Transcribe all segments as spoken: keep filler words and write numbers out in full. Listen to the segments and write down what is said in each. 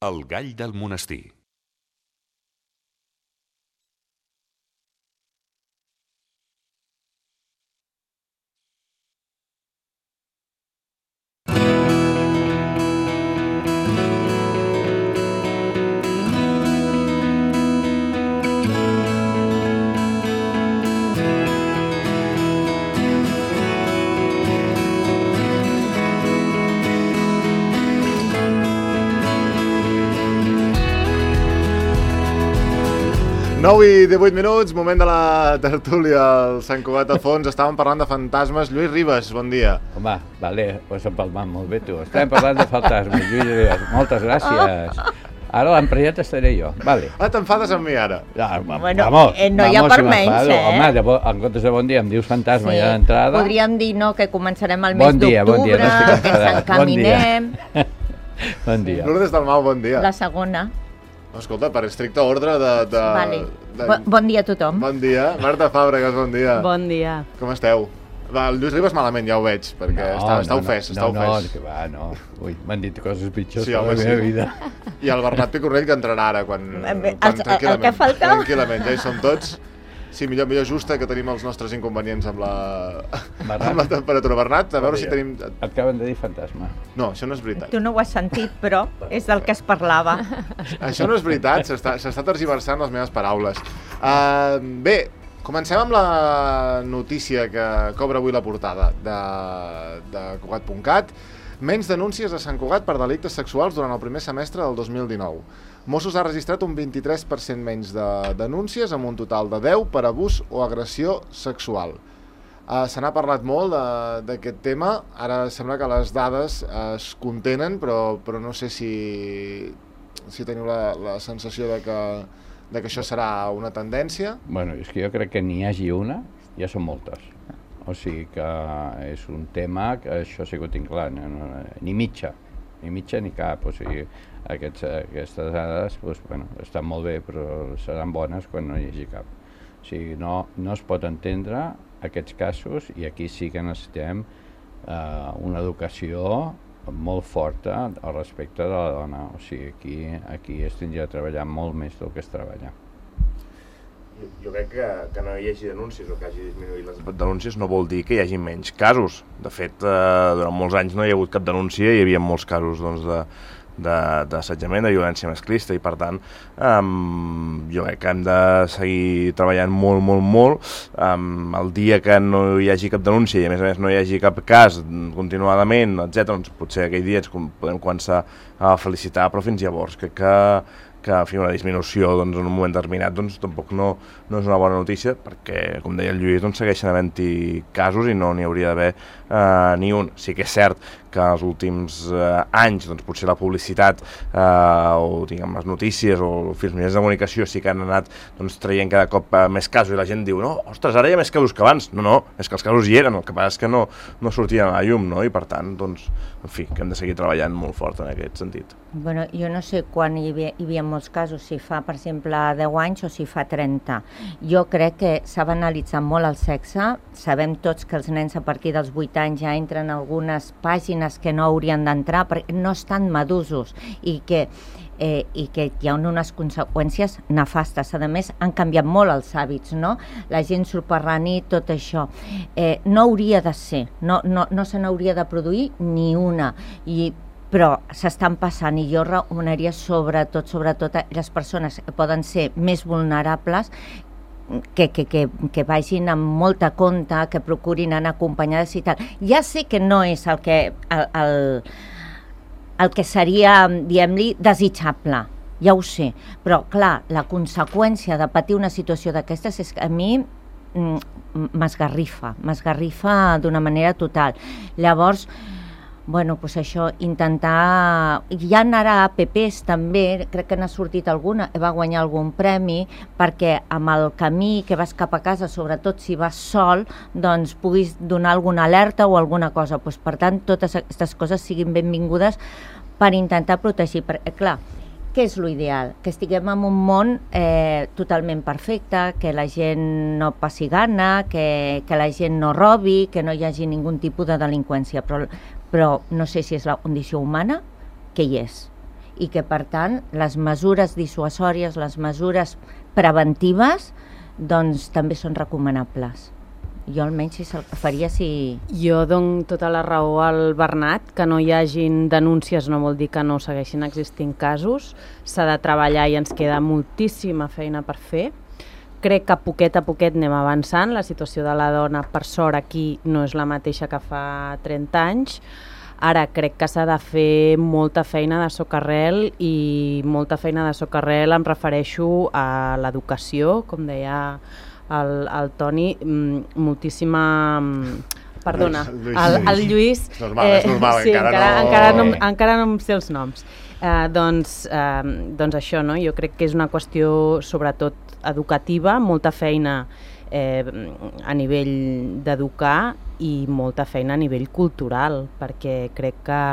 El gall del monestir. nou i divuit minuts, moment de la tertúlia al Sant Cugat a fons. Estàvem parlant de fantasmes. Lluís Ribas, bon dia. Home, vale, ho has empalmat molt bé tu. Estàvem parlant de fantasmes, Lluís Ribas. Moltes gràcies. Ara l'emprenyat estaré jo, vale. Ah, t'enfades amb mi ara? Ja, bueno, vamos, eh, no hi ha vamos, per si menys, eh? Home, de bo, en comptes de bon dia em dius fantasma Sí. ja d'entrada. Podríem dir no, que començarem el mes Bon dia, bon dia, d'octubre, no estic que ens enfadat. encaminem. Bon dia. Lourdes Dalmau, bon dia. La segona. Escolta, per estricte ordre de... de, Vale. de... Bo- Bon dia a tothom. Bon dia. Marta Fàbregas, bon dia. Bon dia. Com esteu? Va, el Lluís Ribas malament, ja ho veig, perquè no, està, està no, ofès, no, està no, ofès. No, que va, no. Ui, m'han dit coses pitjors Sí, a la home, meva sí. vida. I el Bernat Picornell, que entrarà ara, quan... Eh, bé, quan el- el que falta. Tranquil·lament, ja hi som tots. Sí, millor, millor justa, que tenim els nostres inconvenients amb la, Bernat. amb la temperatura. Bernat, a veure Bon si dia. tenim... Et acaben de dir fantasma. No, això no és veritat. Tu no ho has sentit, però és del que es parlava. Això no és veritat, s'està s'està tergiversant les meves paraules. Uh, bé, comencem amb la notícia que cobra avui la portada de, de Cugat punt cat. Menys denúncies a Sant Cugat per delictes sexuals durant el primer semestre del dos mil dinou. Mossos ha registrat un vint-i-tres per cent menys de denúncies, amb un total de deu per abús o agressió sexual. Uh, se n'ha parlat molt d'aquest tema, ara sembla que les dades uh, es contenen, però, però no sé si, si teniu la, la sensació de que, de que això serà una tendència. Bueno, és que jo crec que n'hi hagi una, ja són moltes. O sigui que és un tema que això ha sigut inclar, no, no, ni mitja, ni mitja ni cap. O sigui, aquests, aquestes dades doncs, bueno, estan molt bé, però seran bones quan no hi hagi cap. O sigui, no, no es pot entendre aquests casos, i aquí sí que necessitem eh, una educació molt forta al respecte de la dona. O sigui, aquí, aquí es tindria de treballar molt més del que es treballa. Jo crec que, que no hi hagi denúncies o que hagi disminuït les denúncies no vol dir que hi hagi menys casos. De fet, eh, durant molts anys no hi ha hagut cap denúncia i hi havia molts casos doncs, de, de, d'assetjament, de violència masclista, i per tant um, jo crec que hem de seguir treballant molt, molt, molt. Um, el dia que no hi hagi cap denúncia i a més a més no hi hagi cap cas continuadament, etcètera, doncs potser aquell dia ens podem començar a felicitar, però fins llavors crec que que en fi, una disminució doncs, en un moment determinat doncs, tampoc no, no és una bona notícia, perquè, com deia el Lluís, doncs, segueixen havent-hi casos i no n'hi hauria d'haver eh, ni un. Sí que és cert que els últims eh, anys doncs, potser la publicitat eh, o diguem, les notícies o els mitjans de comunicació sí que han anat doncs, traient cada cop eh, més casos, i la gent diu no, ostres, ara hi ha més casos que abans. No, no, és que els casos hi eren, el que passa és que no, no sortien a la llum, no? I per tant, doncs, en fi, que hem de seguir treballant molt fort en aquest sentit. Bueno, jo no sé quan hi havia, hi havia molts casos, si fa, per exemple, deu anys o si fa trenta. Jo crec que s'ha banalitzat molt el sexe. Sabem tots que els nens a partir dels vuit anys ja entren en algunes pàgines que no haurien d'entrar perquè no estan madusos, i que, eh, i que hi ha unes conseqüències nefastes. A més, han canviat molt els hàbits, no? La gent surt per la nit, tot això. Eh, no hauria de ser, no, no, no se n'hauria de produir ni una. I però s'estan passant, i jo recomanaria sobretot, sobretot a les persones que poden ser més vulnerables que, que, que, que vagin amb molta compte, que procurin anar acompanyades i tal. Ja sé que no és el que, el, el, el que seria, diguem-li, desitjable, ja ho sé, però clar, la conseqüència de patir una situació d'aquestes és que a mi m'esgarrifa, m'esgarrifa d'una manera total. Llavors, bueno, doncs això, intentar... Ja anarà a A P Ps també, crec que n'ha sortit alguna, va guanyar algun premi, perquè amb el camí que vas cap a casa, sobretot si vas sol, doncs puguis donar alguna alerta o alguna cosa. Doncs, per tant, totes aquestes coses siguin benvingudes per intentar protegir. Perquè, clar, què és l'ideal? Que estiguem en un món eh, totalment perfecte, que la gent no passi gana, que, que la gent no robi, que no hi hagi ningú tipus de delinqüència, però, però no sé si és la condició humana, que hi és. i que, per tant, les mesures dissuasòries, les mesures preventives, doncs també són recomanables. Jo almenys si se'l faria si... Jo dono tota la raó al Bernat, que no hi hagin denúncies no vol dir que no segueixin existint casos, s'ha de treballar i ens queda moltíssima feina per fer. Crec que a poquet a poquet anem avançant, la situació de la dona per sort aquí no és la mateixa que fa trenta anys, ara crec que s'ha de fer molta feina de socarrel i molta feina de socarrel em refereixo a l'educació, com deia el, el Toni, moltíssima... Perdona, Lluís, el, el Lluís... És normal, és normal, sí, encara, encara, no... encara, no, encara no em sé els noms. Eh, doncs, eh, doncs això, no? Jo crec que és una qüestió sobretot educativa, molta feina eh, a nivell d'educar i molta feina a nivell cultural, perquè crec que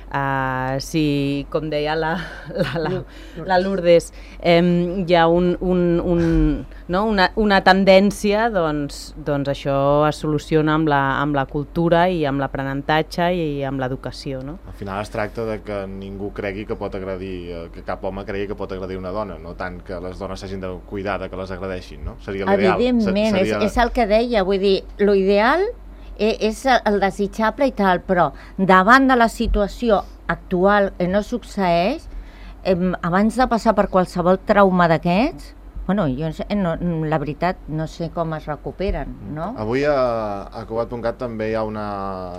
Uh, si, com deia la, la, la, la Lourdes, eh, hi ha un, un, un, no? una, una tendència, doncs, doncs això es soluciona amb la, amb la cultura i amb l'aprenentatge i amb l'educació. No? Al final es tracta de que ningú cregui que pot agredir, que cap home cregui que pot agredir una dona, no tant que les dones s'hagin de cuidar de que les agredeixin, no? Seria l'ideal. Evidentment, seria... és, és el que deia, vull dir, l'ideal és el desitjable i tal, però davant de la situació actual que no succeeix, eh, abans de passar per qualsevol trauma d'aquests, bueno, jo no, la veritat no sé com es recuperen, no? Avui a, a Cugat punt cat també hi ha, una,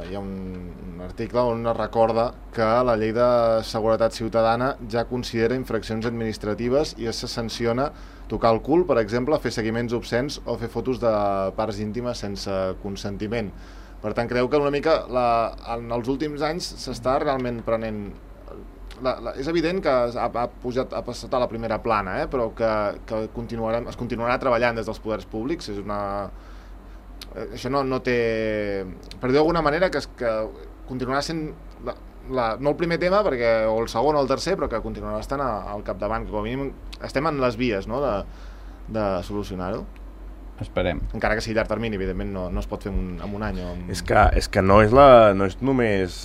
hi ha un, un article on es recorda que la llei de seguretat ciutadana ja considera infraccions administratives i es sanciona tocar el cul, per exemple, fer seguiments obscens o fer fotos de parts íntimes sense consentiment. Per tant, creu que una mica la, en els últims anys s'està realment prenent... La, la, és evident que ha, ha, pujat, ha passat a la primera plana, eh? Però que, que continuarem, es continuarà treballant des dels poders públics. És una... Això no, no té... Per dir d'alguna manera que, que continuarà sent... La, la, no el primer tema, perquè, o el segon o el tercer, però que continuarà estant a, al capdavant, que com a mínim estem en les vies, no?, de, de solucionar-ho. Esperem. Encara que sigui llarg termini, evidentment no, no es pot fer un, en un any. O en... És que, és que no, és la, no és només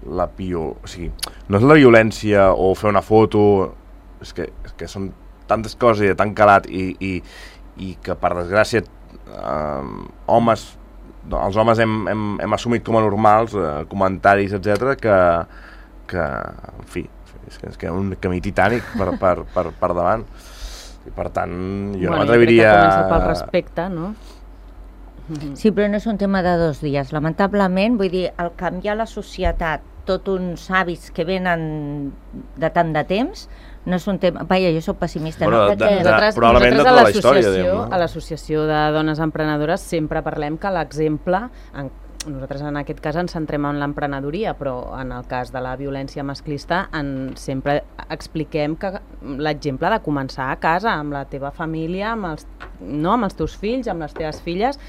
la pio... O sigui, no és la violència o fer una foto... És que, és que són tantes coses i de tan calat i, i, i que, per desgràcia, eh, homes... els homes hem, hem, hem assumit com a normals eh, comentaris, etcètera, que, que, en fi, és que, és que un camí titànic per, per, per, per davant. I per tant, jo bueno, no m'atreviria... Jo crec que comença pel respecte, no? Sí, però no és un tema de dos dies. Lamentablement, vull dir, al canviar la societat, tots uns hàbits que venen de tant de temps, no és un tema... Vaja, jo soc pessimista. Bueno, no? de, de, nosaltres, probablement de tota la història. Diguem, no? A l'Associació de Dones Emprenedores sempre parlem que l'exemple... En, nosaltres en aquest cas ens centrem en l'emprenedoria, però en el cas de la violència masclista en, sempre expliquem que l'exemple de començar a casa, amb la teva família, amb els, no, amb els teus fills, amb les teves filles,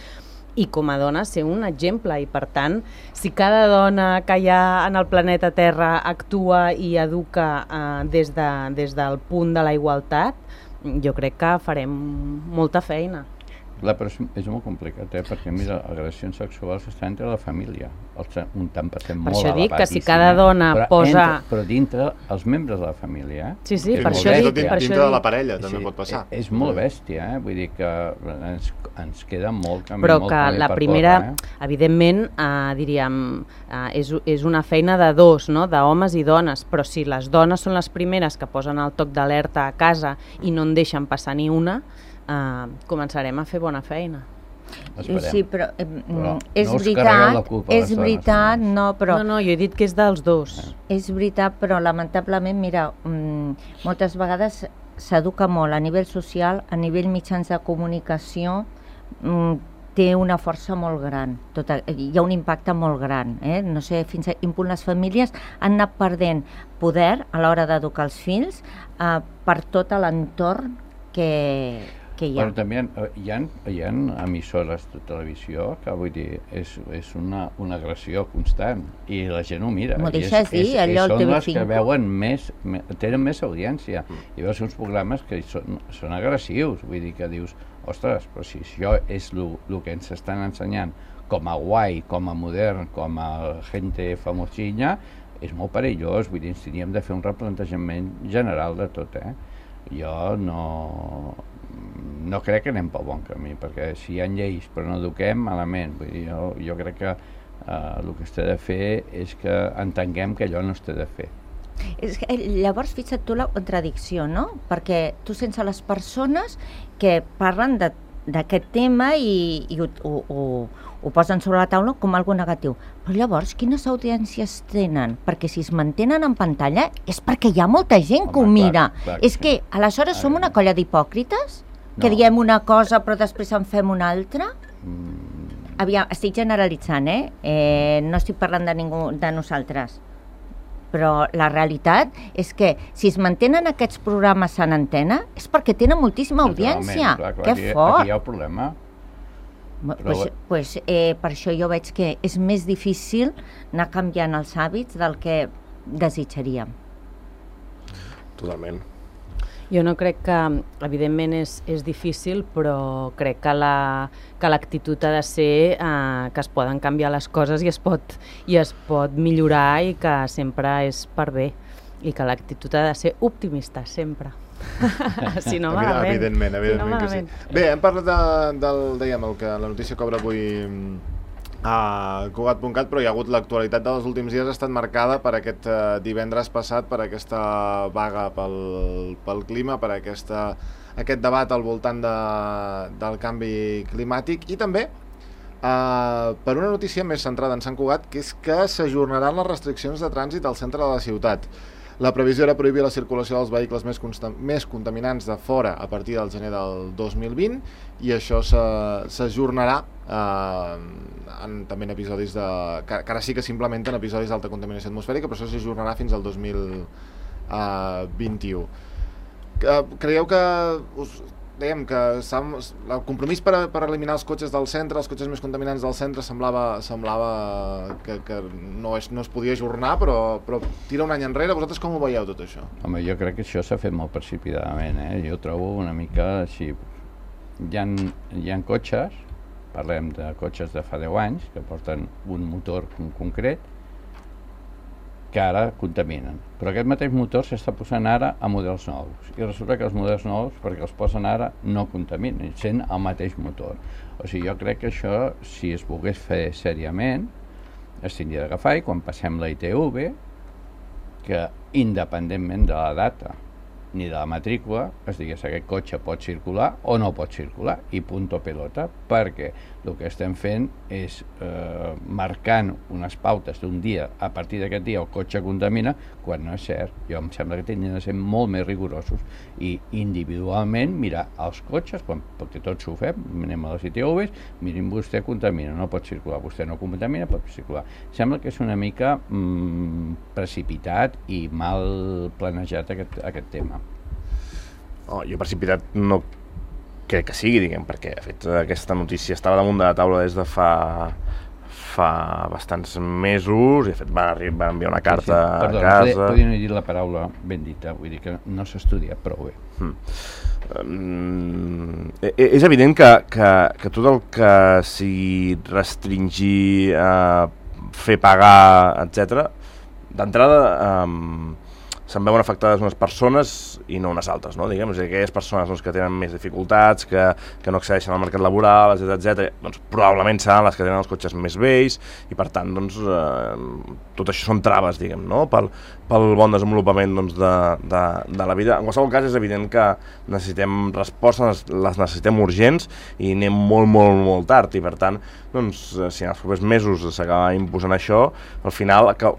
i com a dona ser un exemple, i per tant, si cada dona que hi ha en el planeta Terra actua i educa eh, des, de, des del punt de la igualtat, jo crec que farem molta feina. La, però és molt complicat, eh? Perquè mira, agressions sexuals estan entre la família, un tant per cent molt elevat. Per això dic que si cada dona però posa... Entre, però dintre els membres de la família, eh? Sí, sí, és per això dic. Dintre, per dintre això de la dic. parella també sí, pot passar. És molt bèstia, eh? Vull dir que ens, ens queda molt camí, però molt que camí la per primera, córrer, eh? evidentment, eh, diríem, eh, és, és una feina de dos, no? D'homes i dones, però si les dones són les primeres que posen el toc d'alerta a casa i no en deixen passar ni una, eh, començarem a fer bona feina. Esperem. Sí, però, eh, però és no us veritat, la culpa és les dones, veritat, no? no, però... No, no, jo he dit que és dels dos. Eh. És veritat, però lamentablement, mira, mm, moltes vegades s'educa molt a nivell social, a nivell mitjans de comunicació, mm, té una força molt gran, tota, hi ha un impacte molt gran, eh? No sé fins a quin punt les famílies han anat perdent poder a l'hora d'educar els fills eh, per tot l'entorn que... que hi ha. Però també hi ha, hi ha emissores de televisió que vull dir, és, és una, una agressió constant i la gent ho mira. M'ho deixes dir, allò al T V cinc. Són les que veuen més, tenen més audiència i veus uns programes que són, són agressius, vull dir que dius, ostres, però si això és el que ens estan ensenyant com a guai, com a modern, com a gente famosilla, és molt perillós, vull dir, tindríem de fer un replantejament general de tot, eh? Jo no, no crec que anem pel bon camí, perquè si hi ha lleis però no eduquem, malament. Vull dir, jo, jo crec que eh, el que es té de fer és que entenguem que allò no es té de fer. És que, llavors, fixa't tu la contradicció, no? Perquè tu sense les persones que parlen de d'aquest tema i, i ho, ho, ho, ho posen sobre la taula com algo negatiu. Però llavors, quines audiències tenen? Perquè si es mantenen en pantalla és perquè hi ha molta gent Home, que ho mira. Clar, clar, és sí. que, aleshores, som una colla d'hipòcrites? No. Que diem una cosa però després en fem una altra? Mm. Aviam, estic generalitzant, eh? eh? No estic parlant de ningú de nosaltres. Però la realitat és que si es mantenen aquests programes en antena és perquè tenen moltíssima audiència. Clar, clar, que aquí, fort! aquí hi ha el problema. Però... Pues, pues, eh, per això jo veig que és més difícil anar canviant els hàbits del que desitjaríem. Totalment. Jo no crec que, evidentment és, és difícil, però crec que la, que l'actitud ha de ser eh, que es poden canviar les coses i es pot, i es pot millorar i que sempre és per bé i que l'actitud ha de ser optimista, sempre. Si no, malament. Evidentment, evidentment, si no, que sí. Bé, hem parlat de, del, dèiem, el que la notícia cobra avui a Cugat punt cat, però hi ha hagut l'actualitat dels últims dies ha estat marcada per aquest uh, divendres passat, per aquesta vaga pel, pel clima, per aquesta, aquest debat al voltant de, del canvi climàtic i també uh, per una notícia més centrada en Sant Cugat, que és que s'ajornaran les restriccions de trànsit al centre de la ciutat. La previsió era prohibir la circulació dels vehicles més, més contaminants de fora a partir del gener del dos mil vint i això s'ajornarà eh, en, també en episodis de... que, que ara sí que s'implementen episodis d'alta contaminació atmosfèrica, però això s'ajornarà fins al dos mil vint-i-u. Eh, creieu que... Us, dèiem que el compromís per, per eliminar els cotxes del centre, els cotxes més contaminants del centre, semblava, semblava que, que no, es, no es podia ajornar, però, però tira un any enrere. Vosaltres com ho veieu tot això? Home, jo crec que això s'ha fet molt precipitadament, eh? Jo trobo una mica així... Hi ha, hi ha cotxes, parlem de cotxes de fa deu anys, que porten un motor concret, que ara contaminen. Però aquest mateix motor s'està posant ara a models nous. I resulta que els models nous, perquè els posen ara, no contaminen, sent el mateix motor. O sigui, jo crec que això, si es volgués fer seriament, es tindria d'agafar i quan passem la I T V, que independentment de la data ni de la matrícula, es digués aquest cotxe pot circular o no pot circular, i punto pelota, perquè el que estem fent és eh, marcant unes pautes d'un dia, a partir d'aquest dia el cotxe contamina, quan no és cert. Jo em sembla que tindrien de ser molt més rigorosos i individualment mirar els cotxes, quan, perquè tots ho fem, anem a les I T Vs, mirin, vostè contamina, no pot circular, vostè no contamina, pot circular. Sembla que és una mica mm, precipitat i mal planejat aquest, aquest tema. Oh, jo precipitat no crec que sigui, diguem, perquè de fet aquesta notícia estava damunt de la taula des de fa fa bastants mesos i de fet va, va enviar una carta sí, sí. Perdó, a casa... Podria no dir la paraula ben dita, vull dir que no s'estudia prou bé. Mm. Um, és evident que, que, que tot el que sigui restringir, uh, fer pagar, etcètera, d'entrada um, se'n veuen afectades unes persones i no unes altres, no? Diguem, és a dir, aquelles persones doncs, que tenen més dificultats, que, que no accedeixen al mercat laboral, etcètera, etcètera, doncs probablement seran les que tenen els cotxes més vells i per tant doncs, eh, tot això són traves, diguem, no? pel, pel bon desenvolupament doncs, de, de, de la vida. En qualsevol cas és evident que necessitem respostes, les necessitem urgents i anem molt, molt, molt tard i per tant, doncs, si en els propers mesos s'acaba imposant això, al final, que,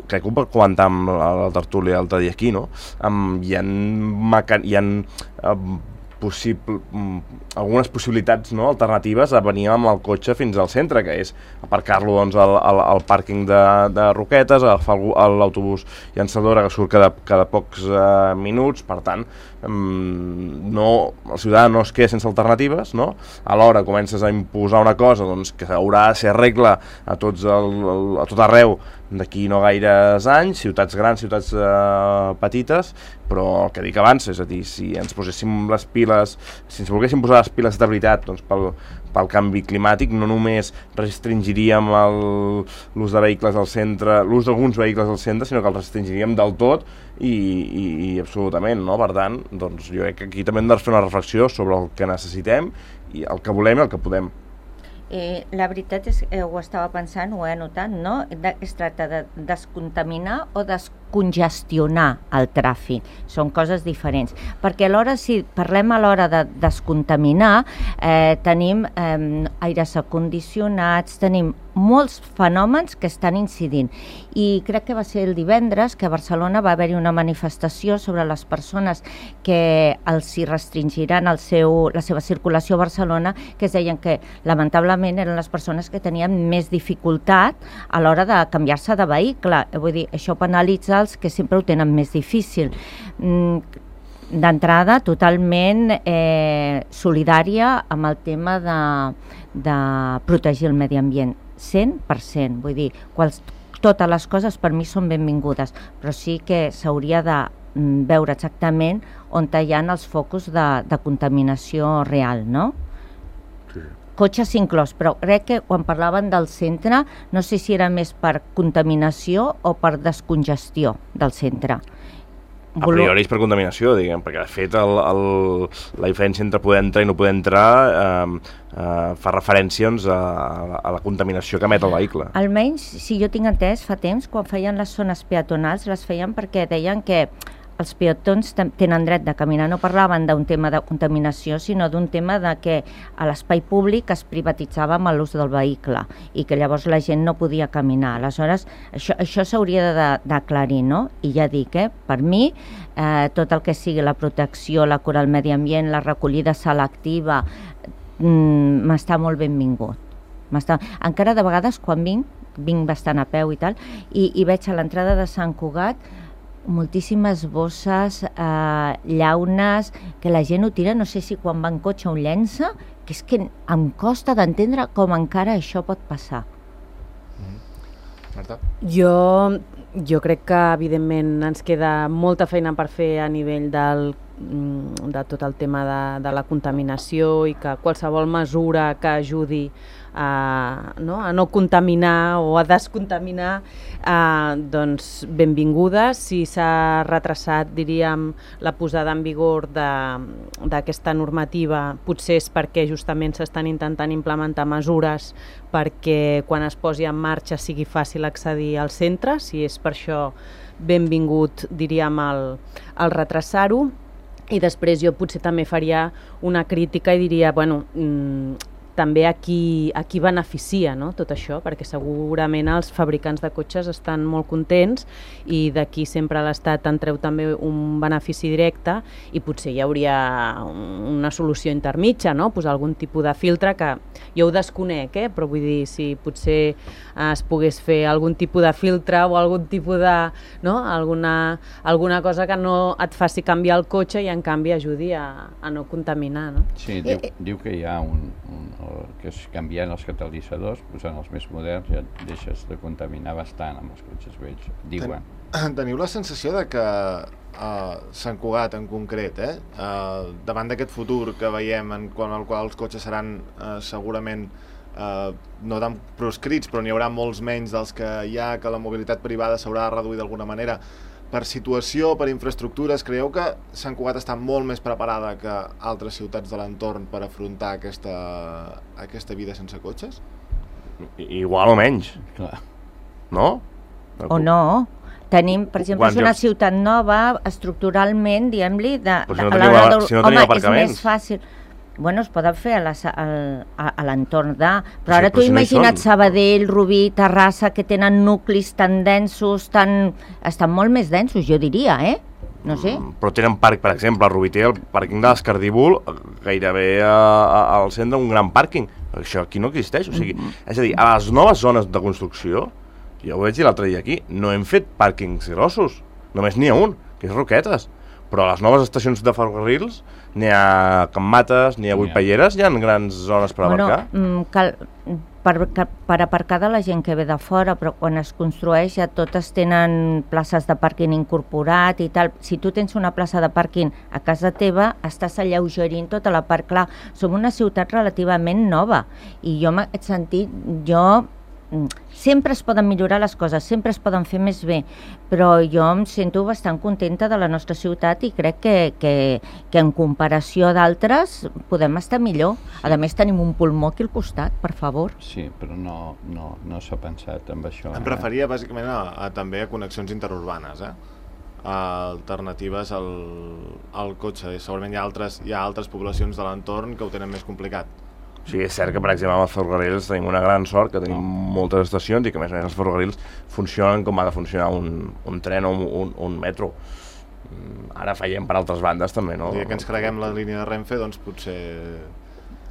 crec que ho comentar amb la tertúlia l'altre dia aquí, no? Um, hi ha, meca... hi ha um, possible, um, algunes possibilitats, no? Alternatives a venir amb el cotxe fins al centre, que és aparcar-lo doncs, al, al, al pàrquing de, de Roquetes, agafar l'autobús llançadora que surt cada, cada pocs uh, minuts, per tant, um, no, el ciutadà no es queda sense alternatives, no? Alhora comences a imposar una cosa doncs, que haurà de ser regla a, tots el, el, a tot arreu d'aquí no gaires anys, ciutats grans, ciutats eh, petites, però el que dic abans, és a dir, si ens poséssim les piles, si ens volguéssim posar les piles de veritat, doncs pel, pel canvi climàtic, no només restringiríem l'ús de vehicles al centre, l'ús d'alguns vehicles al centre, sinó que el restringiríem del tot i, i, i absolutament, no? Per tant, doncs jo crec que aquí també hem de fer una reflexió sobre el que necessitem i el que volem i el que podem. Eh, la veritat és que ho estava pensant, ho he anotat, no? De, es tracta de descontaminar o descongestionar el tràfic. Són coses diferents. Perquè alhora, si parlem a l'hora de descontaminar, eh, tenim eh, aires acondicionats, tenim molts fenòmens que estan incidint. I crec que va ser el divendres que a Barcelona va haver-hi una manifestació sobre les persones que els hi restringiran el seu, la seva circulació a Barcelona, que es deien que lamentablement eren les persones que tenien més dificultat a l'hora de canviar-se de vehicle. Vull dir, això penalitza els que sempre ho tenen més difícil. D'entrada, totalment eh, solidària amb el tema de, de protegir el medi ambient. cent per cent, vull dir, quals, totes les coses per mi són benvingudes, però sí que s'hauria de veure exactament on hi ha els focus de, de contaminació real, no? Sí. Cotxes inclòs, però crec que quan parlaven del centre, no sé si era més per contaminació o per descongestió del centre. A priori és per contaminació, diguem, perquè de fet el, el, la diferència entre poder entrar i no poder entrar eh, eh, fa referència doncs, a, a la contaminació que emet el vehicle. Almenys, si jo tinc entès, fa temps, quan feien les zones peatonals, les feien perquè deien que els peatons tenen dret de caminar. No parlaven d'un tema de contaminació, sinó d'un tema de que a l'espai públic es privatitzava amb l'ús del vehicle i que llavors la gent no podia caminar. Aleshores, això, això s'hauria d'aclarir, no? I ja dic, eh, per mi, eh, tot el que sigui la protecció, la cura al medi ambient, la recollida selectiva, mm, m'està molt benvingut. Encara de vegades, quan vinc, vinc bastant a peu i tal, i, i veig a l'entrada de Sant Cugat moltíssimes bosses, eh, llaunes, que la gent ho tira, no sé si quan va en cotxe ho llença, que és que em costa d'entendre com encara això pot passar. Mm. Marta? Jo, jo crec que evidentment ens queda molta feina per fer a nivell del, de tot el tema de, de la contaminació i que qualsevol mesura que ajudi a no, a no contaminar o a descontaminar, eh, doncs benvinguda. Si s'ha retrasat, diríem, la posada en vigor d'aquesta normativa, potser és perquè justament s'estan intentant implementar mesures perquè quan es posi en marxa sigui fàcil accedir al centre. Si és per això, benvingut, diríem, el, el retrasar-ho. I després jo potser també faria una crítica i diria, bueno, mmm, també a qui, a qui beneficia, no, tot això, perquè segurament els fabricants de cotxes estan molt contents i d'aquí sempre l'Estat en treu també un benefici directe i potser hi hauria una solució intermitja, no? Posar algun tipus de filtre que jo ho desconec, eh? Però vull dir, si potser es pogués fer algun tipus de filtre o algun tipus de, no? alguna, alguna cosa que no et faci canviar el cotxe i en canvi ajudi a, a no contaminar, no? Sí, diu, diu que hi ha un, un que és canviant els catalitzadors, posant els més moderns, ja deixes de contaminar bastant amb els cotxes vells, diuen. Ten, teniu la sensació de que uh, Sant Cugat en concret, eh, uh, davant d'aquest futur que veiem en qual, el qual els cotxes seran uh, segurament uh, no tan proscrits, però n'hi haurà molts menys dels que hi ha, que la mobilitat privada s'haurà de reduir d'alguna manera, per situació, per infraestructures, creieu que Sant Cugat està molt més preparada que altres ciutats de l'entorn per afrontar aquesta, aquesta vida sense cotxes? Igual o menys. Clar. No? O no. Tenim, per exemple, és una ciutat nova, estructuralment, diguem-li, de, de, si no teniu, a, si no teniu home, és més fàcil. Bueno, es poden fer a l'entorn de... Però ara sí, tu si imagina't no Sabadell, Rubí, Terrassa, que tenen nuclis tan densos, tan... estan molt més densos, jo diria, eh? No sé. Mm, però tenen parc, per exemple, a Rubí té el pàrquing de l'Escardívol, gairebé a, a, al centre un gran pàrquing. Això aquí no existeix, o sigui, mm-hmm. és a dir, a les noves zones de construcció, jo ho vaig dir l'altre dia aquí, no hem fet pàrquings grossos, només n'hi ha un, que és Roquetes. Però a les noves estacions de ferrocarrils n'hi ha Can Mates, n'hi ha Vuitpelleres, hi ha grans zones per bueno, abarcar. Cal, per, per aparcar de la gent que ve de fora, però quan es construeix ja totes tenen places de pàrquing incorporat i tal. Si tu tens una plaça de pàrquing a casa teva, estàs alleugerint tota la part. Clar, som una ciutat relativament nova i jo en aquest sentit, jo sempre es poden millorar les coses, sempre es poden fer més bé, però jo em sento bastant contenta de la nostra ciutat i crec que, que, que en comparació d'altres podem estar millor. Sí. A més tenim un pulmó aquí al costat, per favor. Sí, però no, no, no s'ha pensat en això. Em referia bàsicament a, a, també a connexions interurbanes, eh? A alternatives al, al cotxe. Segurament hi ha altres, hi ha altres poblacions de l'entorn que ho tenen més complicat. Sí, és cert que, per exemple, amb els ferrocarrils tenim una gran sort, que tenim moltes estacions i que, a més a més, els ferrocarrils funcionen com ha de funcionar un, un tren o un, un, un metro. Ara fallem per altres bandes, també, no? El dia que ens creguem la línia de Renfe, doncs potser...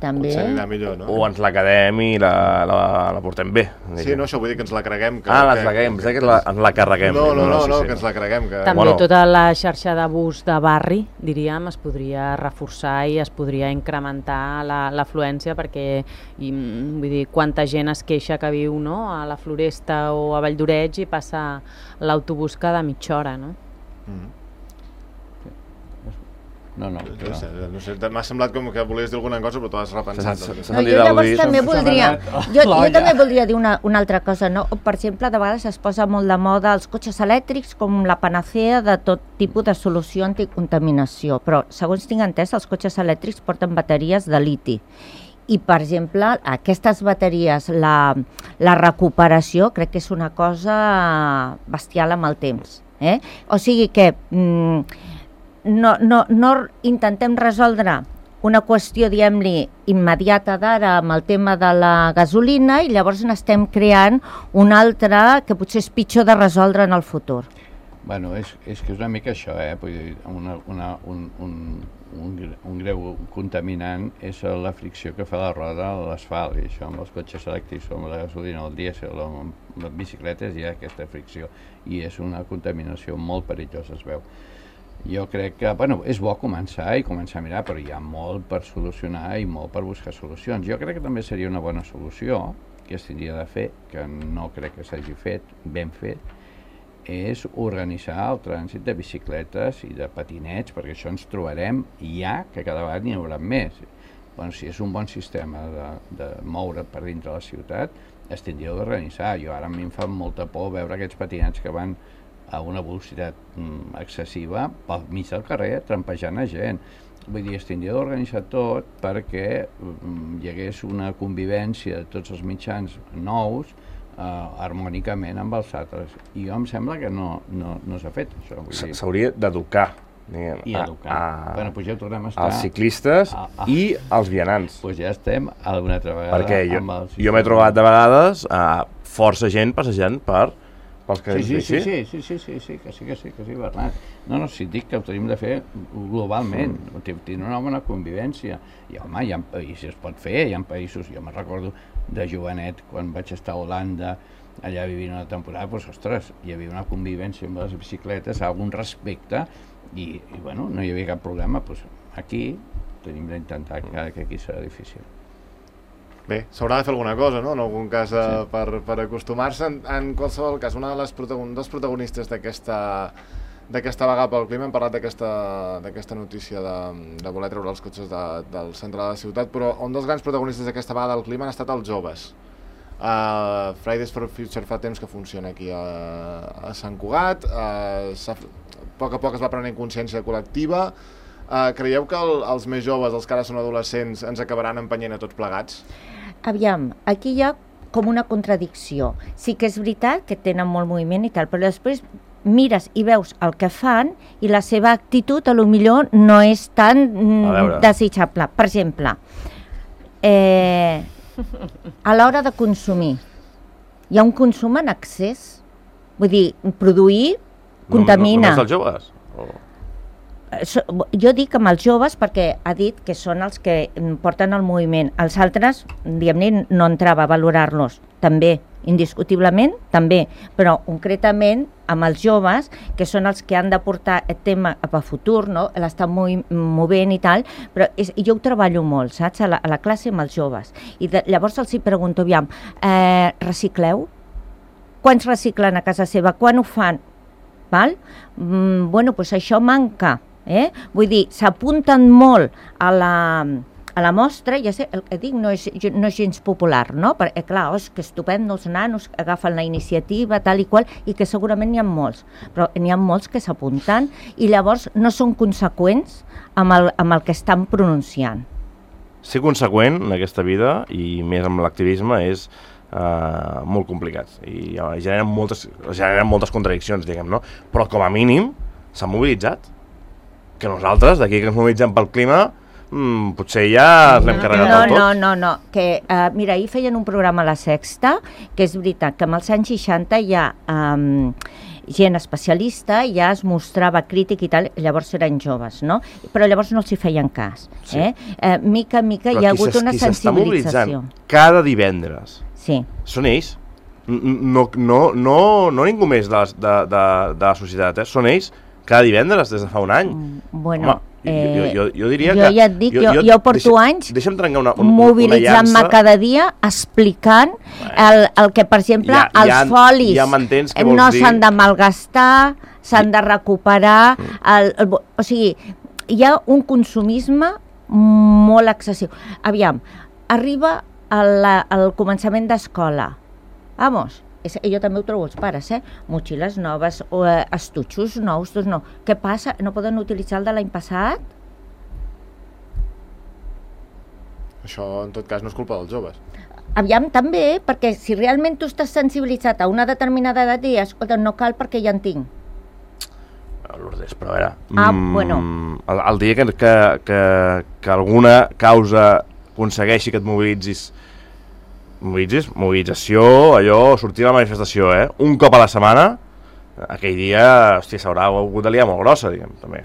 També. Potser anirà millor, no? O ens la quedem i la, la, la portem bé. Sí, no, això vull dir que ens la creguem. Que, ah, que, la creguem, que, que la, ens la carreguem. No, no, no, no, sí, no sí, que ens la creguem. Que... També bueno. Tota la xarxa de bus de barri, diríem, es podria reforçar i es podria incrementar l'afluència perquè, i, vull dir, quanta gent es queixa que viu, no?, a la Floresta o a Valldoreix i passa l'autobús cada mitja hora, no? Mm. No, no, no sé, no sé, m'ha semblat com que volies dir alguna cosa però t'ho has repensat. Doncs. No, jo llavors també voldria, jo, jo també voldria dir una, una altra cosa, no? Per exemple, de vegades es posa molt de moda els cotxes elèctrics com la panacea de tot tipus de solució anticontaminació, però segons tinc entès els cotxes elèctrics porten bateries de liti. I, per exemple, aquestes bateries, la, la recuperació crec que és una cosa bestial amb el temps. Eh? O sigui que mm, no, no, no intentem resoldre una qüestió, diguem-li, immediata d'ara amb el tema de la gasolina i llavors n'estem creant una altra que potser és pitjor de resoldre en el futur. Bueno, és, és que és una mica això, eh? Vull dir, una, una, un, un, un, un greu contaminant és la fricció que fa la roda a l'asfalt, i això amb els cotxes elèctrics, amb la gasolina, el dièsel, amb les bicicletes hi ha aquesta fricció, i és una contaminació molt perillosa, es veu. Jo crec que, bueno, és bo començar i començar a mirar, però hi ha molt per solucionar i molt per buscar solucions. Jo crec que també seria una bona solució, que es tindria de fer, que no crec que s'hagi fet, ben fet, és organitzar el trànsit de bicicletes i de patinets, perquè això ens trobarem ja que cada vegada n'hi haurà més. Bueno, si és un bon sistema de, de moure per dintre la ciutat, es tindria d'organitzar. Jo ara a mi em fa molta por veure aquests patinets que van a una velocitat mm, excessiva pel mig del carrer, trampejant a gent. Vull dir, es tindria d'organitzar tot perquè mm, hi hagués una convivència de tots els mitjans nous Uh, harmònicament amb els altres. I jo em sembla que no, no, no s'ha fet això. S'hauria d'educar. I educar. A, bueno, pues ja tornem a estar... Els ciclistes a, a, i els vianants. Pues ja estem alguna altra vegada. Perquè jo, amb els jo m'he trobat de vegades uh, força gent passejant per pels carrers sí, sí, bici. Sí, sí, sí, sí, sí, que sí, que sí, que sí, Bernat. No, no, si dic que ho tenim de fer globalment, mm. tenir una bona convivència. I home, hi ha països, es pot fer, hi ha països, jo me'n recordo de jovenet, quan vaig estar a Holanda, allà vivint una temporada, doncs, ostres, hi havia una convivència amb les bicicletes, algun respecte, i, i bueno, no hi havia cap problema. Doncs aquí tenim d'intentar que, que aquí serà difícil. Bé, s'haurà de fer alguna cosa, no?, en algun cas, eh, sí. per, per acostumar-se. En, en qualsevol cas, una de les protagon dels protagonistes d'aquesta d'aquesta vaga pel clima, hem parlat d'aquesta notícia de, de voler treure els cotxes de, del centre de la ciutat, però un dels grans protagonistes d'aquesta vaga del clima han estat els joves. Uh, Fridays for Future fa temps que funciona aquí a, a Sant Cugat, uh, a poc a poc es va prenent consciència col·lectiva. Uh, creieu que el, els més joves, els que ara són adolescents, ens acabaran empenyent a tots plegats? Aviam, aquí hi ha com una contradicció. Sí que és veritat que tenen molt moviment i tal, però després mires i veus el que fan i la seva actitud a lo millor no és tan mm, desitjable. Per exemple, eh, a l'hora de consumir, hi ha un consum en excés. Vull dir, produir contamina. Només els joves? O... Jo dic amb els joves perquè ha dit que són els que porten el moviment. Els altres, diguem-ne, no entrava a valorar-los. També, indiscutiblement, també. Però concretament amb els joves, que són els que han de portar el tema cap a futur, no? L'estan movent i tal, però és, jo ho treballo molt, saps? A la, a la classe amb els joves. I de, llavors els hi pregunto, aviam, eh, recicleu? Quants reciclen a casa seva? Quan ho fan? Val? Mm, bueno, doncs això manca. Eh? Vull dir, s'apunten molt a la... a la mostra, ja sé, el que dic no és, no és gens popular, no? Perquè, clar, oh, és que estupendo, els nanos agafen la iniciativa, tal i qual, i que segurament n'hi ha molts, però n'hi ha molts que s'apunten i llavors no són conseqüents amb el, amb el que estan pronunciant. Ser conseqüent en aquesta vida, i més amb l'activisme, és uh, molt complicat. I uh, generen, moltes, generen moltes contradiccions, diguem, no? Però com a mínim s'han mobilitzat. Que nosaltres, d'aquí que ens mobilitzem pel clima, Mm, potser ja l'hem carregat no, del tot. No, no, no, que, uh, mira, ahir feien un programa a la Sexta, que és veritat que amb els anys seixanta hi ha um, gent especialista, ja es mostrava crític i tal, llavors eren joves, no? Però llavors no els hi feien cas. Sí. Eh? Uh, mica en mica Però hi ha hagut una sensibilització. Cada divendres sí. Són ells, no, no, no, no ningú més de, de, de, de la societat, eh? Són ells cada divendres des de fa un any. Bueno... Home, Jo, jo, jo diria jo que... ja et dic, jo, jo, jo porto deixa, anys deixa'm trencar una, un, mobilitzant-me cada dia explicant el, el que, per exemple, ja, els ja, folis ja no s'han de malgastar, s'han de recuperar, el, el, o sigui, hi ha un consumisme molt excessiu. Aviam, arriba al, al començament d'escola, vamos, és, jo també ho trobo els pares, eh? Motxilles noves, o, eh, estutxos nous, doncs no. Què passa? No poden utilitzar el de l'any passat? Això, en tot cas, no és culpa dels joves. Aviam, també, perquè si realment tu estàs sensibilitzat a una determinada edat, i escolta, no cal perquè ja en tinc. Lourdes, però a veure... Ah, mm, bueno. El, el dia que, que, que, que alguna causa aconsegueixi que et mobilitzis mobilitzis, mobilització, allò, sortir a la manifestació, eh? Un cop a la setmana, aquell dia, hòstia, s'haurà hagut de liar molt grossa, diguem, també.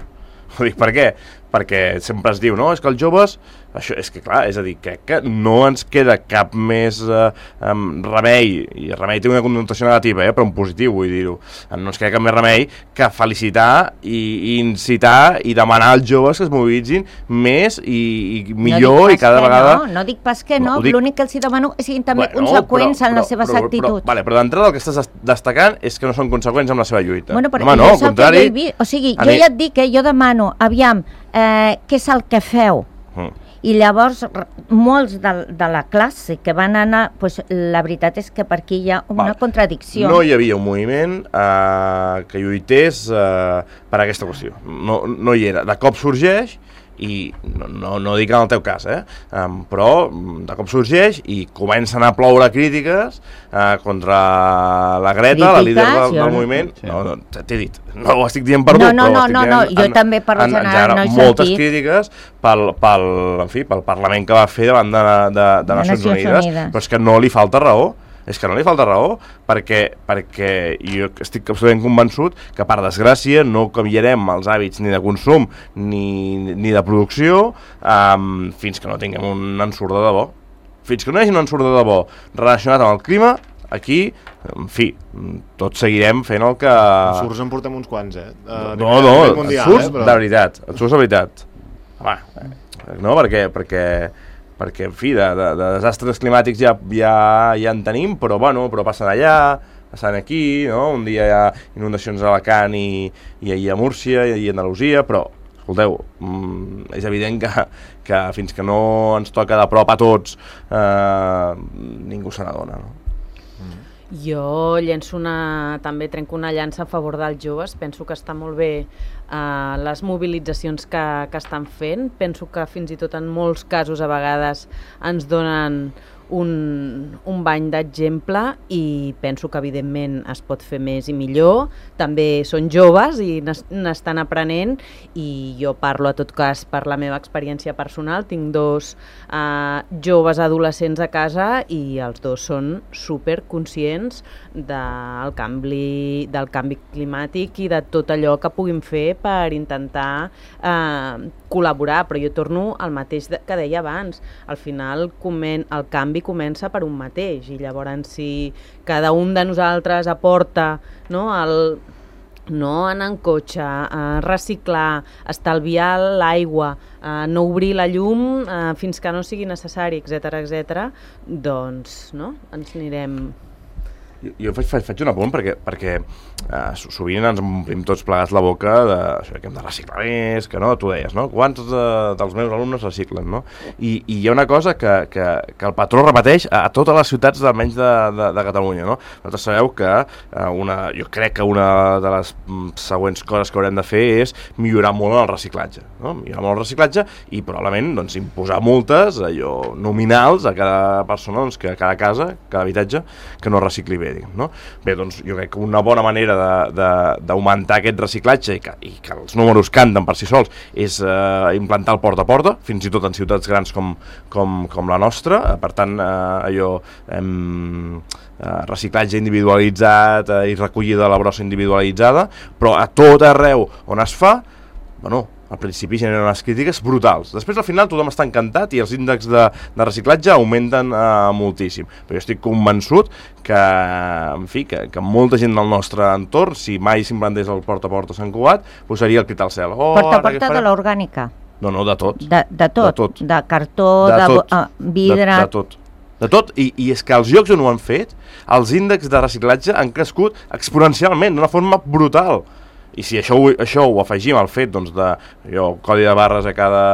Ho dic per què? Perquè sempre es diu, no, és que els joves, això, és que clar, és a dir, crec que no ens queda cap més eh, um, remei, i remei té una connotació negativa, eh, però en positiu vull dir-ho, no ens queda cap més remei que felicitar i, i incitar i demanar als joves que es mobilitzin més i, i millor no i cada vegada... No, no dic pas que no, no dic... l'únic que els hi demano és que siguin també bueno, conseqüents però, en les seves però, actituds. Però, vale, però d'entrada el que estàs destacant és que no són conseqüents amb la seva lluita. Bueno, Home, no, al contrari... Jo o sigui, jo mi... ja et dic que jo demano, aviam, eh, què és el que feu? Mm. I llavors molts de, de la classe que van anar, pues, la veritat és que per aquí hi ha una Val. contradicció. No hi havia un moviment eh, que lluités eh, per aquesta qüestió. No, no hi era. De cop sorgeix i no, no, no dic en el teu cas, eh? Um, però de cop sorgeix i comencen a ploure crítiques uh, contra la Greta, crítiques, la líder del, del moviment. Sí. No, no, t'he dit, no ho estic dient per tu, no, no, però no, no, no, jo en, també parlo en, general, no he moltes sentit. crítiques pel, pel, en fi, pel Parlament que va fer davant de, de, de, de Nacions, Nacions Unides, Unides, però és que no li falta raó. És que no li falta raó, perquè, perquè jo estic absolutament convençut que, per desgràcia, no canviarem els hàbits ni de consum ni, ni de producció um, fins que no tinguem un ensurt de debò. Fins que no hi hagi un ensurt de debò relacionat amb el clima, aquí, en fi, tots seguirem fent el que... Ensurts en portem uns quants, eh? Uh, no, no, ensurts eh, però... de veritat, ensurts de veritat. Home, no, perquè... perquè perquè, en fi, de, de, de desastres climàtics ja, ja, ja en tenim, però, bueno, però passen allà, passen aquí, no? Un dia hi ha inundacions a Alacant i, i, i a Múrcia i a Andalusia, però, escolteu, mm, és evident que, que fins que no ens toca de prop a tots, eh, ningú se n'adona, no? Jo llenço una, també trenco una llança a favor dels joves, penso que està molt bé uh, les mobilitzacions que, que estan fent, penso que fins i tot en molts casos a vegades ens donen un, un bany d'exemple i penso que evidentment es pot fer més i millor, també són joves i n'estan aprenent i jo parlo a tot cas per la meva experiència personal, tinc dos uh, joves adolescents a casa i els dos són super conscients del canvi, del canvi climàtic i de tot allò que puguin fer per intentar uh, col·laborar, però jo torno al mateix que deia abans, al final comen, el canvi comença per un mateix i llavors si cada un de nosaltres aporta, no, el, no anar en cotxe, eh, reciclar, estalviar l'aigua, eh, no obrir la llum eh, fins que no sigui necessari, etcètera, etcètera, doncs no? Ens anirem... Jo, jo faig, faig, faig un apunt perquè, perquè eh, sovint ens omplim tots plegats la boca de això, que hem de reciclar més, que no, tu deies, no? Quants de, dels meus alumnes reciclen, no? I, i hi ha una cosa que, que, que el patró repeteix a, a totes les ciutats almenys de, de, de Catalunya, no? Vosaltres sabeu que eh, una, jo crec que una de les següents coses que haurem de fer és millorar molt el reciclatge, no? Millorar molt el reciclatge i probablement doncs, imposar multes allò nominals a cada persona, doncs, que a cada casa, cada habitatge, que no recicli bé. No? Bé, doncs jo crec que una bona manera d'augmentar aquest reciclatge i que, i que els números canten per si sols és eh, implantar el porta a porta, fins i tot en ciutats grans com, com, com la nostra. Per tant, eh, allò em, eh, reciclatge individualitzat eh, i recollida de la brossa individualitzada, però a tot arreu on es fa, bueno, al principi generen unes crítiques brutals. Després, al final, tothom està encantat i els índexs de, de reciclatge augmenten eh, moltíssim. Però jo estic convençut que, en fi, que, que molta gent del nostre entorn, si mai s'implantés el porta a porta a Sant Cugat, posaria el crit al cel. Oh, porta a porta de l'orgànica? No, no, de tot. De, de, tot. de tot. De cartó, de, de tot. Uh, vidre... De, de tot. De tot, I, i és que els llocs on ho han fet, els índexs de reciclatge han crescut exponencialment, d'una forma brutal. I si això, això ho afegim al fet doncs, de jo, codi de barres a cada,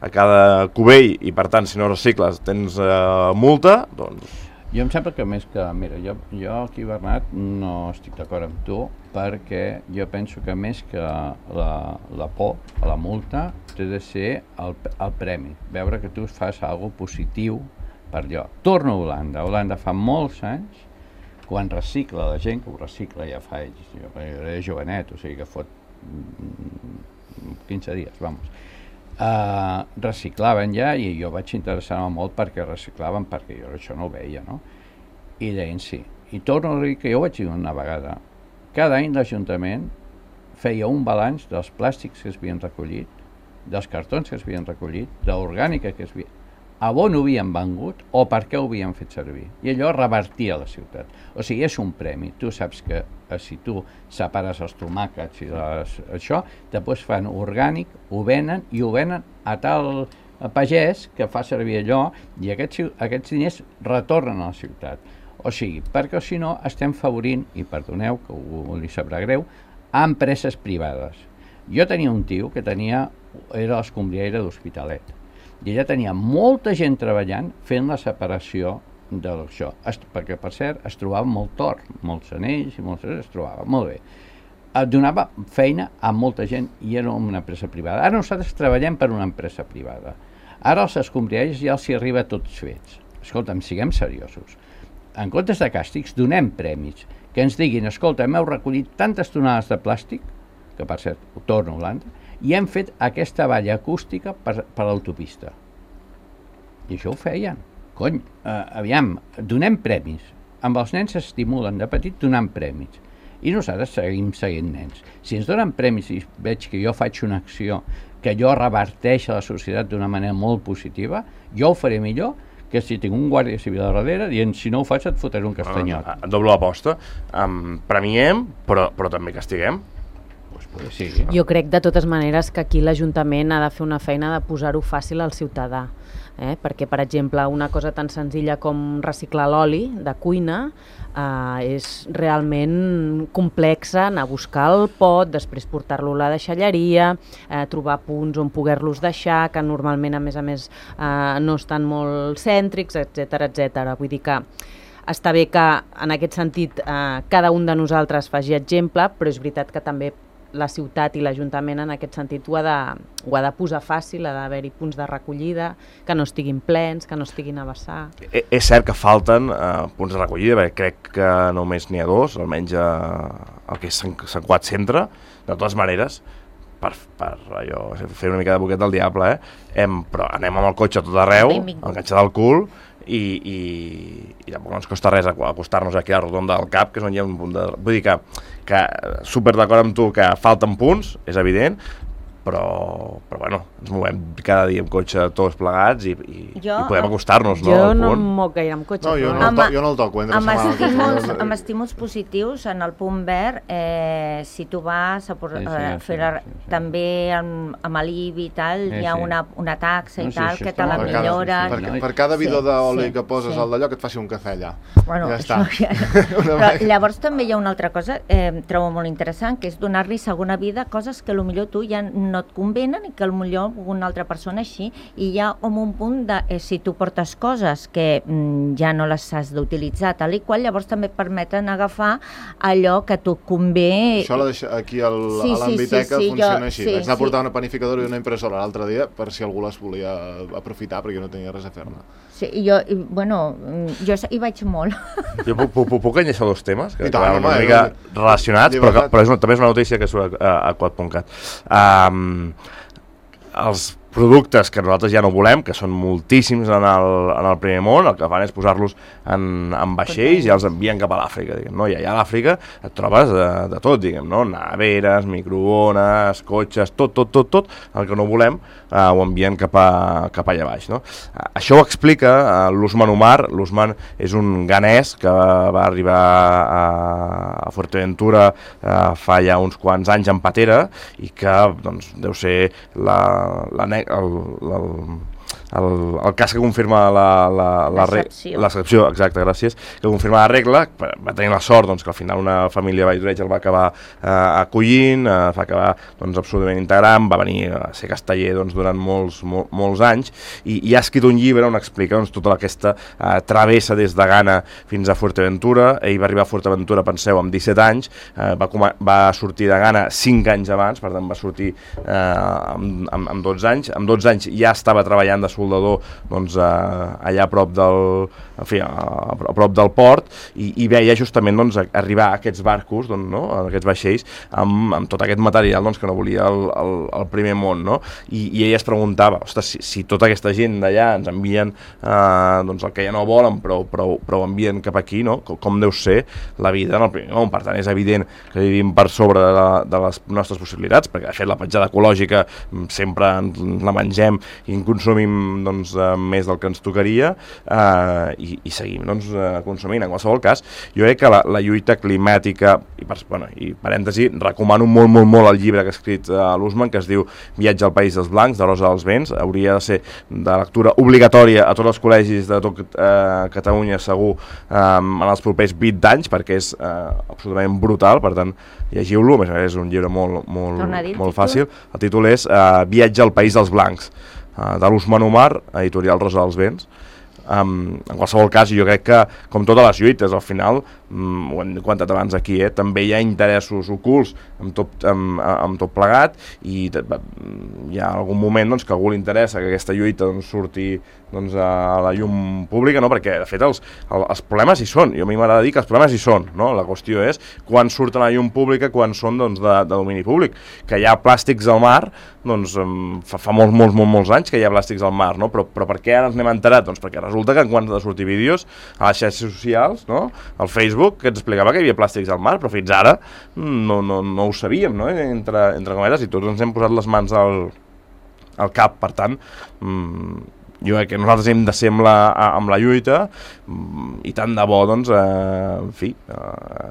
a cada cubell i per tant si no recicles tens eh, multa, doncs... Jo em sembla que més que... Mira, jo, jo aquí, Bernat, no estic d'acord amb tu perquè jo penso que més que la, la por a la multa té de ser el, el premi. Veure que tu fas alguna cosa positiu per allò. Torno a Holanda. A Holanda fa molts anys quan recicla la gent, que ho recicla ja fa ells, jo era jovenet, o sigui que fot quinze dies, vamos, uh, reciclaven ja i jo vaig interessar-me molt perquè reciclaven, perquè jo això no ho veia, no? I deien sí. I torno a dir que jo vaig dir una vegada, cada any l'Ajuntament feia un balanç dels plàstics que es havien recollit, dels cartons que es havien recollit, de l'orgànica que es havia... a on ho havien vengut o per què ho havien fet servir. I allò revertia la ciutat. O sigui, és un premi. Tu saps que eh, si tu separes els tomàquets i les, això, després fan orgànic, ho venen i ho venen a tal pagès que fa servir allò i aquests, aquests diners retornen a la ciutat. O sigui, perquè si no estem favorint, i perdoneu que ho, li sabrà greu, a empreses privades. Jo tenia un tio que tenia, era l'escombriaire d'Hospitalet, i ella tenia molta gent treballant fent la separació d'això, perquè per cert es trobava molt tort, molts anells i molts es trobava molt bé. Donava feina a molta gent i era una empresa privada. Ara nosaltres treballem per una empresa privada. Ara els escombriaires ja els hi arriba tots fets. Escolta'm, siguem seriosos. En comptes de càstigs, donem premis. Que ens diguin, escolta, hem recollit tantes tonades de plàstic, que per cert, ho torno a Holanda, i hem fet aquesta valla acústica per, per l'autopista. I això ho feien. Cony, eh, aviam, donem premis. Amb els nens s'estimulen de petit donant premis. I nosaltres seguim seguint nens. Si ens donen premis i veig que jo faig una acció que jo reverteix a la societat d'una manera molt positiva, jo ho faré millor que si tinc un guàrdia civil a darrere dient si no ho faig et fotré un castanyot. Ah, doble aposta. Um, premiem, però, però també castiguem. Pues sí. Jo crec de totes maneres que aquí l'Ajuntament ha de fer una feina de posar-ho fàcil al ciutadà, eh? Perquè, per exemple, una cosa tan senzilla com reciclar l'oli de cuina eh, és realment complexa, anar a buscar el pot, després portar-lo a la deixalleria, eh, trobar punts on poder-los deixar, que normalment, a més a més, eh, no estan molt cèntrics, etcètera, etcètera. Vull dir que està bé que, en aquest sentit, eh, cada un de nosaltres faci exemple, però és veritat que també la ciutat i l'Ajuntament en aquest sentit ho ha, de, ho ha de posar fàcil, ha d'haver-hi punts de recollida, que no estiguin plens, que no estiguin a vessar. És cert que falten eh, punts de recollida, perquè crec que només n'hi ha dos, almenys eh, el que és Sant, Sant Cugat Centre, de totes maneres, per, per allò, fer una mica de boquet del diable, eh? Hem, però anem amb el cotxe a tot arreu, enganxat al cul, i, i, i tampoc no ens costa res acostar-nos aquí a la rotonda del Cap, que és on hi ha un punt de... Vull dir que, que super d'acord amb tu que falten punts, és evident, però, però bueno, ens movem cada dia amb cotxe tots plegats i, i, Jo- i podem acostar-nos, no? Jo al no punt. em moc gaire amb cotxe. No, jo però- no, el Amb- to, jo no el toco, entre Amb setmana. estímuls, amb estímuls positius, en el punt verd, eh, si tu vas a, por, Sí, sí, a sí, fer la, sí, sí. també amb, amb l'I B I i tal, Sí, hi ha sí. una, una taxa i No, sí, tal, això que està te la molt bé. milloren. Sí, sí, Per, sí. per cada bidó Sí, d'oli sí, que poses sí. al d'allò, que et faci un cafè allà. Bueno, ja això està. ja... Una Però mica. llavors també hi ha una altra cosa, eh, trobo molt interessant, que és donar-li segona vida a coses que potser tu ja no et convenen i que potser una altra persona així, i hi ha com un punt de, eh, si tu portes coses que mm, ja no les has d'utilitzar, tal i qual, llavors també et permeten agafar allò que tu convé. Això la deixa aquí al, Sí, a sí, l'Ambiteca sí, sí, funciona jo- així. sí, Vaig anar a sí. portar una panificadora i una impressora l'altre dia per si algú les volia aprofitar, perquè jo no tenia res a fer-ne. Sí, i jo, i, bueno, mm, jo hi vaig molt. Jo puc, puc, puc enllaçar dos temes que I tant, van una home, mica eh, relacionats, però, que, llibertat. però és una, també és una notícia que surt a, a quad punt cat. Um, els productes que nosaltres ja no volem, que són moltíssims en el, en el primer món, el que fan és posar-los en, en vaixells i els envien cap a l'Àfrica, diguem, no? I allà a l'Àfrica et trobes de, de tot, diguem, no? Neveres, microones, cotxes, tot, tot, tot, tot, el que no volem eh, ho envien cap, a, cap allà baix, no? Eh, això ho explica eh, l'Usman Umar. L'Usman és un ganès que va arribar a, a Fuerteventura eh, fa ja uns quants anys en patera i que, doncs, deu ser la, la, el, el, el, el cas que confirma la, la, la L'excepció. l'excepció, exacte, gràcies, que confirma la regla. Va tenir la sort doncs, que al final una família a Valldoreix el va acabar eh, acollint, eh, va acabar doncs, absolutament integrant, va venir a ser casteller doncs, durant molts, mol, molts anys i, i ha escrit un llibre on explica doncs, tota aquesta eh, travessa des de Ghana fins a Fuerteventura. Ell va arribar a Fuerteventura, penseu, amb disset anys, eh, va, va sortir de Ghana cinc anys abans, per tant va sortir eh, amb, amb, amb dotze anys. Amb dotze anys ja estava treballant de soldador doncs, eh, allà a prop del, en fi, a, a prop del port i, i veia justament doncs, arribar a aquests barcos, doncs, no? A aquests vaixells amb, amb tot aquest material doncs, que no volia el, el, el primer món, no? I, i ella es preguntava, ostres, si, si tota aquesta gent d'allà ens envien eh, doncs, el que ja no volen però, però, però ho envien cap aquí, no? Com, com deu ser la vida en el primer món. Per tant, és evident que vivim per sobre de, la, de les nostres possibilitats, perquè de fet la petjada ecològica sempre la mengem i en consumim doncs, eh, més del que ens tocaria eh, i, i seguim doncs, eh, consumint. En qualsevol cas, jo crec que la, la lluita climàtica, i, per, bueno, i parèntesi, recomano molt, molt, molt el llibre que ha escrit eh, l'Usman, que es diu Viatge al País dels Blancs, de Rosa dels Vents. Hauria de ser de lectura obligatòria a tots els col·legis de tot eh, Catalunya, segur, eh, en els propers vint anys, perquè és eh, absolutament brutal. Per tant, llegiu-lo, a més a més és un llibre molt, molt, molt fàcil. El títol és eh, Viatge al País dels Blancs, de l'Usman Umar, editorial Rosa dels Vents. Um, en qualsevol cas, jo crec que, com totes les lluites, al final, um, ho hem comentat abans aquí, eh, també hi ha interessos ocults amb tot, amb, amb tot plegat i hi ha algun moment doncs, que a algú li interessa que aquesta lluita doncs, surti doncs, a la llum pública, no? Perquè de fet els, els problemes hi són. Jo a mi m'agrada dir que els problemes hi són, no? La qüestió és quan surten a la llum pública, quan són doncs, de, de domini públic. Que hi ha plàstics al mar, doncs fa, fa molts, molts, molts, molts anys que hi ha plàstics al mar, no? Però, però per què ara ens n'hem enterat? Doncs perquè resulta que quan han de sortir vídeos a les xarxes socials, no? Al Facebook, que ens explicava que hi havia plàstics al mar, però fins ara no, no, no ho sabíem, no? Entre, entre cometes, i tots ens hem posat les mans al, al cap. Per tant, mmm, jo crec que nosaltres hem de ser amb la, amb la lluita i tant de bo, doncs, eh, en fi, eh,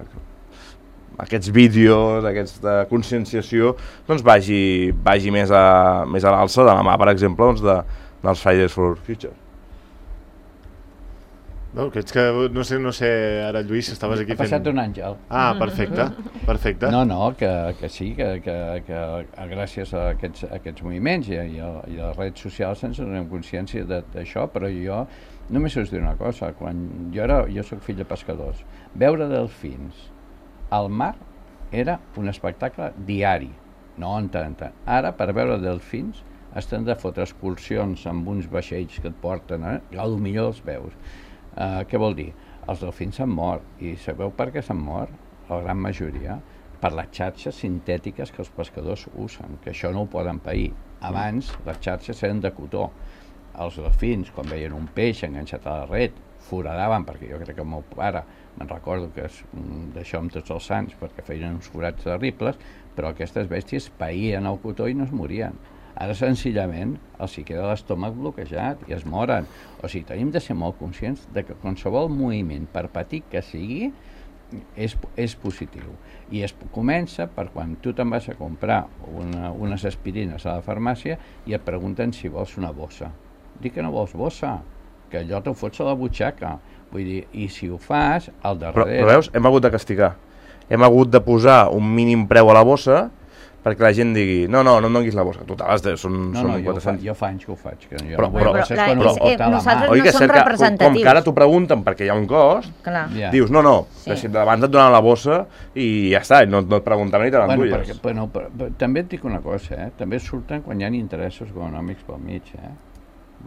aquests vídeos, aquesta conscienciació, doncs vagi, vagi més a, més a l'alça de la mà, per exemple, doncs, de, dels Fridays for Future. No, que ets que, no sé, no sé, ara Lluís, estaves aquí fent... Ha passat un àngel. Ah, perfecte, perfecte. No, no, que, que sí, que, que, que gràcies a aquests, a aquests moviments i a, i a, i a les redes socials ens donem consciència d'això, però jo només us diré una cosa, quan jo, era, jo soc fill de pescadors, veure delfins al mar era un espectacle diari, no en tant, tant. Ara, per veure delfins, estan de fotre excursions amb uns vaixells que et porten, eh? I potser els veus. Uh, què vol dir? Els delfins s'han mort, i sabeu per què s'han mort? La gran majoria per les xarxes sintètiques que els pescadors usen, que això no ho poden pair. Abans les xarxes eren de cotó. Els delfins, quan veien un peix enganxat a la red, foradaven, perquè jo crec que el meu pare, me'n recordo que és d'això amb tots els sants, perquè feien uns forats terribles, però aquestes bèsties païen el cotó i no es morien. Ara, senzillament, els hi queda l'estómac bloquejat i es moren. O sigui, tenim de ser molt conscients de que qualsevol moviment, per petit que sigui, és, és positiu. I es comença per quan tu te'n vas a comprar una, unes aspirines a la farmàcia i et pregunten si vols una bossa. Dic que no vols bossa, que allò t'ho fots a la butxaca. Vull dir, i si ho fas, al darrere... Però, però veus, hem hagut de castigar. Hem hagut de posar un mínim preu a la bossa perquè la gent digui, no, no, no em donguis la bossa. Total, són, no, són no, jo, fa, cents. jo fa anys que ho faig. Que jo però, no però, però, però, quan però, ho porta a la mà. nosaltres no som representatius. Com, com que ara t'ho pregunten perquè hi ha un cost, Clar. yeah. dius, no, no, sí. si abans et donaven la bossa i ja està, no, no et preguntaven ni te l'endulles. Bueno, perquè, bueno, però, però, també et dic una cosa, eh? també surten quan hi ha interessos econòmics pel mig. Eh?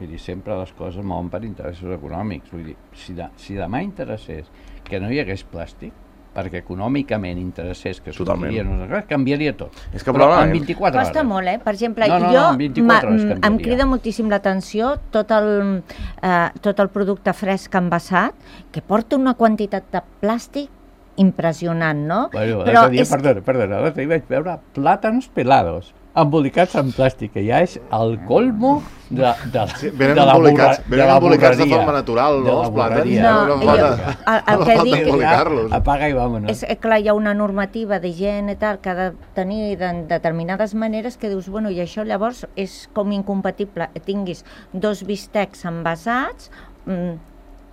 Vull dir, sempre les coses mouen per interessos econòmics. Vull dir, si, de, si demà interessés que no hi hagués plàstic, perquè econòmicament interessés que sortiria, no sé, canviaria tot. És que però en vint-i-quatre hores. Costa molt, eh? Per exemple, no, no, jo no, em crida moltíssim l'atenció tot, el, eh, tot el producte fresc envasat, que porta una quantitat de plàstic impressionant, no? Bueno, però dia, és... Perdona, perdona, l'altre dia vaig veure plàtans pelados, embolicats en plàstic, que ja és el colmo de, de, sí, de la borra, venen embolicats de forma natural, no, els plàtans? No, no, no jo, el, el que dic... Apaga i vámonos. És clar, hi ha una normativa d'higiene i tal que ha de tenir de determinades maneres que dius, bueno, i això llavors és com incompatible. Tinguis dos bistecs envasats, mmm,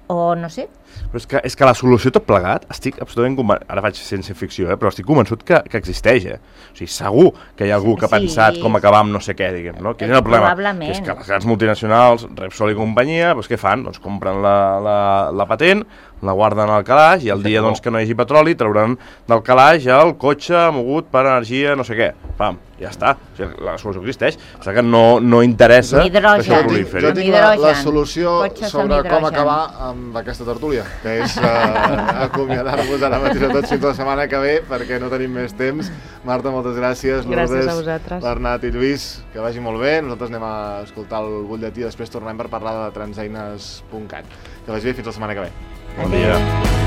o no sé. Però és que, és que la solució tot plegat, estic absolutament convençut, ara faig ciència ficció, eh, però estic convençut que, que existeix, eh? O sigui, segur que hi ha algú que ha sí. pensat com acabar amb no sé què, diguem, no? Quin és el problema? Que és que les grans multinacionals, Repsol i companyia, doncs què fan? Doncs compren la, la, la patent, la guarden al calaix i el dia doncs, que no hi hagi petroli trauran del calaix el cotxe mogut per energia no sé què. Pam, ja està. O sigui, la solució existeix. O sigui que no, no interessa que això proliferi. Jo tinc la, la solució sobre com acabar amb aquesta tertúlia, que és uh, acomiadar-vos ara mateix a tots fins la setmana que ve, perquè no tenim més temps. Marta, moltes gràcies. Gràcies a vosaltres. Bernat i Lluís, que vagi molt bé. Nosaltres anem a escoltar el butlletí, després tornem per parlar de transeines punt cat. Que vagi bé fins la setmana que ve. Bon dia.